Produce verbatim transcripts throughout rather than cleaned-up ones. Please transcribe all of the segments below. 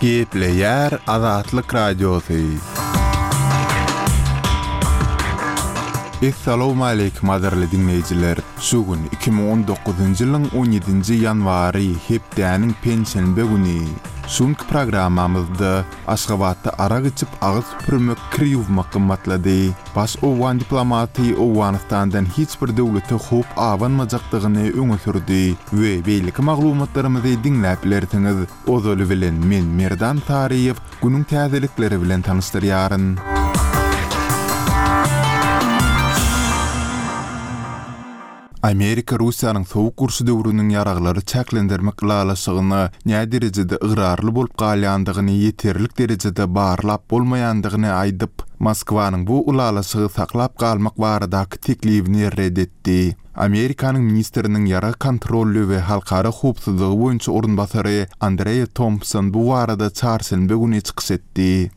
Gepleýär Azatlyk Radiosy. Essalawmaleýkim gadyrly diňleýjiler! Şu gün iki müň on dokuzynjy ýylyň on ýedinji ýanwary, hepdäniň penşenbe güni. Şu günki programmamyzda Aşgabatda arak içip agyz süpürmek, kir ýuwmak gymmatlady. Baş owgan diplomaty Owganystandan hiç bir döwlete howp abanmajakdygyny öňe sürdi we beýleki maglumatlarymyzy diňläp bilersiňiz. Ozaly bilen men Merdan Saryýew günüň täzelikleri bilen tanyşdyrýaryn. Amerika Russiýanyň sowuk urşy döwrüniň ýaraglary çäklendirmek ylalaşygyna näderejede ygrarly bolup galýandygyny ýeterlik derejede barlap bolmaýandygyny aýdyp, Moskwanyň bu ylalaşygy saklap galmak baradaky teklibini ret etdi. Amerikanyň ministriniň ýarag kontroly we halkara howpsuzlygy boýunça orunbasary Andrea Tompson bu barada çarşenbe güni çykyş etdi.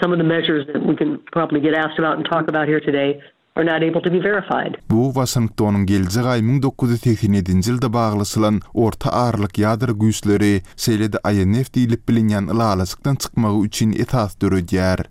Some of the measures that we can probably get asked about and talk about here today are not able to be verified. Bu Waşingtonyň geljek aý müň dokuz ýüz segsen ýedinji ýylda baglaşylan Orta Aralyk ýadro güýçleri, şeýle-de I N F diýlip bilinýän ylalaşykdan çykmagy üçin esas döredýär.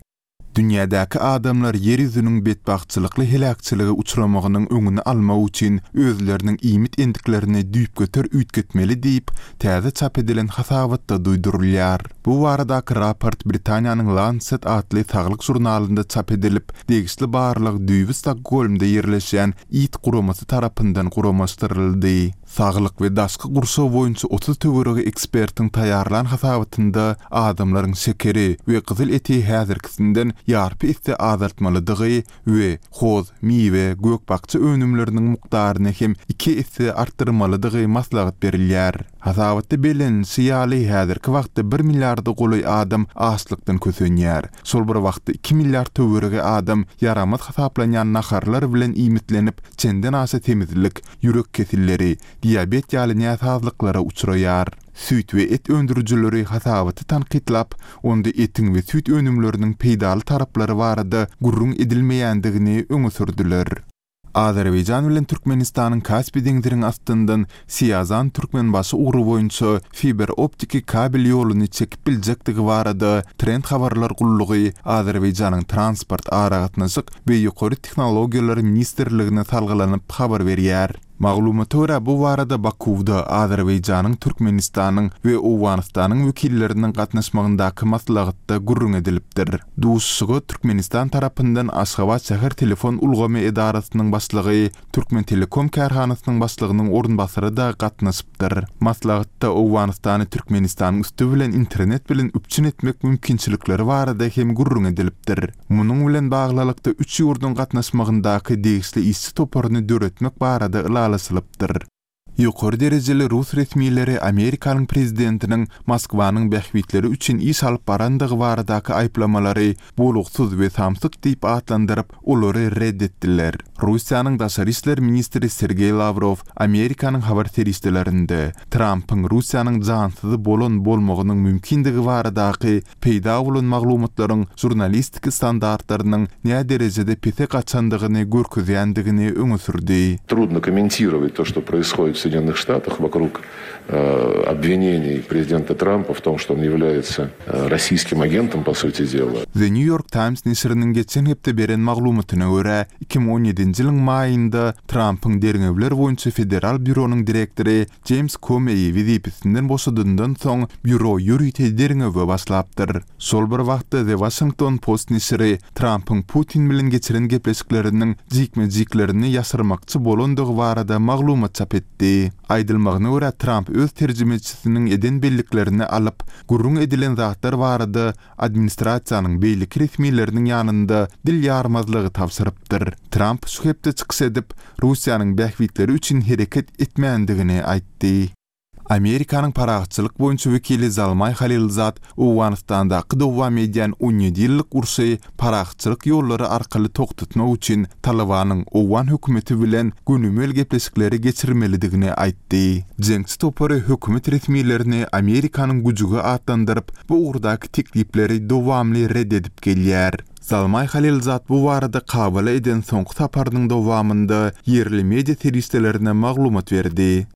Dünýädäki adamlar ýer ýüzüniň betbagtçylykly heläkçilige uçramagynyň öňüni almak üçin özleriniň iýmit endiklerini düýpgöter üýtgetmeli diýip, täze çap edilen hasabatda duýdurylýar. Bu baradaky raport Britaniýanyň Lancet atly saglyk žurnalynda çap edilip, degişli barlag düýbi Stokgolmda ýerleşýän It guramasy tarapyndan guramaşdyryldy. Saglyk we daşky gurşaw boýunça otuz töweregi ekspertiň taýýarlan hasabatynda adamlaryň şekeri we gyzyl eti häzirkisinden ýarpy esse azaltmalydygy we hoz, miwe, gök-bakja önümleriniň mukdaryny hem iki esse artdyrmalydygy maslahat berilýär. Hasabatda bellenilişi ýaly, häzirki wagtda bir milliarda golaý adam açlykdan kösenýär. Şol bir wagtda iki milliard töweregi adam ýaramaz hasaplanýan naharlar bilen iýmitlenip, çenden aşa semizlik, ýürek kesilleri, diabet ýaly näsazlyklara uçraýar. Süýt we et öndürijileri hasabaty tankytlap, onda etiň we süýt önümleriniň peýdaly taraplary barada gürrüň edilmeýändigini öňe sürdüler. Azerbaýjan bilen Türkmenistanyň Kaspi deňziniň astyndan Siýazan Türkmenbaşy ugry boýunça fiber optiki kabel ýoluny çekip biljekdigi barada Trend habarlar gullugy Azerbaýjanyň Transport, aragatnaşyk we ýokary tehnologiýalar ministrligine salgylanyp habar berýär. Maglumata görä, bu barada Bakuwda Azerbaýjanyň, Türkmenistanyň we Owganystanyň wekilleriniň gatnaşmagyndaky maslahatda gürrüň edilipdir. Duşuşyga Türkmenistan tarapyndan Aşgabat şäher telefon ulgamy edarasynyň başlygy, Türkmentelekom kärhanasynyň başlygynyň orunbasary-da gatnaşypdyr. Maslahatda Owganystany Türkmenistanyň üsti bilen internet bilen üpjün etmek mümkinçilikleri barada hem gürrüň edilipdir. Munuň bilen baglylykda üç ýurduň gatnaşmagyndaky degişli işçi toparyny döretmek barada ylalaşylypdyr. Ýokary derejeli rus resmileri Amerikanyň prezidentiniň Moskwanyň bähbitleri üçin iş alyp barandygy baradaky aýyplamalary bolugsyz we samsyk diýip atlandyryp, olary red etdiler. Russiýanyň daşary işler ministri Sergeý Lawrow Amerikanyň habar serişdelerinde Trampyň Russiýanyň jansyzy bolan bolmagynyň mümkindigi baradaky peýda bolan maglumatlaryň žurnalistiki standartlarynyň näderejede pese gaçandygyny görkezýändigini öňe sürdi. Трудно комментировать то, что происходит в Соединенных Штатах вокруг, э, обвинений президента Трампа в том, что он является, э, российским агентом, по сути дела. The New York Times neşiriniň geçen hepde beren maglumatyna görä, iki müň on ýedinji ýylyň maýynda Trampyň derňewler boýunça federal býuronyň direktory James Comey wezipesinden boşadyndan soň býuro ýörite derňewe başlapdyr. Şol bir wagtda The Washington Post neşiri Trampyň Putin bilen geçiren gepleşikleriniň jikme-jiklerini ýaşyrmakçy bolandygy barada maglumat çap etdi. Aýdylmagyna görä, Tramp öz terjimeçisiniň eden belliklerini alyp, gürrüň edilen zatlar barada administrasiýanyň beýleki resmileriniň ýanynda dil ýarmazlygy tabşyrypdyr. Tramp şu hepde çykyş edip, Russiýanyň bähbitleri üçin hereket etmändigini aýtdy. Amerikanyň parahatçylyk boýunça wekili Zalmaý Halilzad Owganystandaky dowam edýän on ýedi ýyllyk urşy parahatçylyk ýollary arkaly togtatmak üçin Talybanyň Owgan hökümeti bilen gönümel gepleşikleri geçirmelidigini aýtdy. Jeňçi topary hökümet resmilerini Amerikanyň güjügi atlandyryp, bu ugurdaky teklipleri dowamly red edip gelýär. Zalmaý Halilzad bu barada Kabula eden soňky saparynyň dowamynda ýerli media serişdelerine maglumat berdi.